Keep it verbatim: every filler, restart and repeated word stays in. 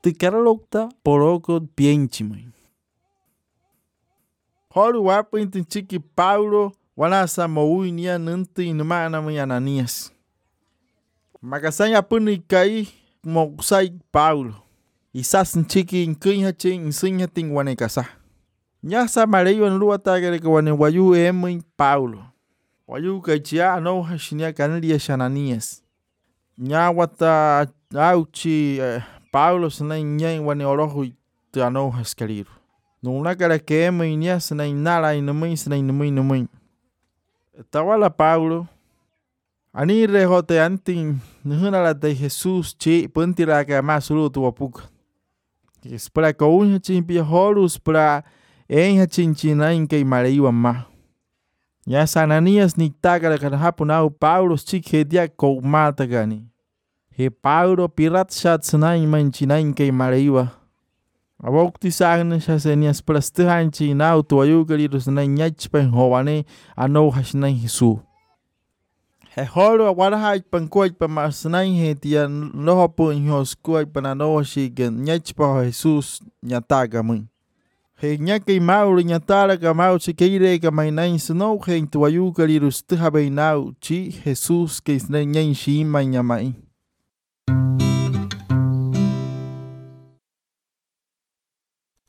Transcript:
Tikaralokta poroko pienchimay. Holu wapin tinchiki Paulo wanasa moui nia nanti numana mi Ananias. Makasanya puni kai mokusai Paulo. Isas nchiki inkinya chin insinya ting wanekasa. Nyasa mareyo nluwa tagare ka wane wayu emi Paulo. Wayu kaichia no hashinia kanilia Ananias. Nya wata auchi eh, Paulo sana nyai wane orohu te ano haskaliru. Nuna kara ke emi nia sana inala inamui sana inamui inamui. Tawala Paulo. Ani rehote anting nuhunala de Jesus chi puntira ka masulu tu wapuka. Espera ka unha chimpia holus para enha chinchina inke mareiwa ma. Ya Ananias ni tagara kana hapunau Paulo chike dia ko mata gani. He Paulo pirat shat sana imanchina inke mareiwa. Awokti sagna shasenias plastahan chinau tu ayugaliru sana nyachpen howane ano hashna Jesu. He holo awaraha pankuaj pa masnai he tia noho po inhoskuaj panano shigen nyachpa Jesus nyataga mun. He nyake mauri nyatara ka mau chikeire ka mainai sno he tuayu kalirus thabe nau chi Jesus ke isne nyen shi manyamai.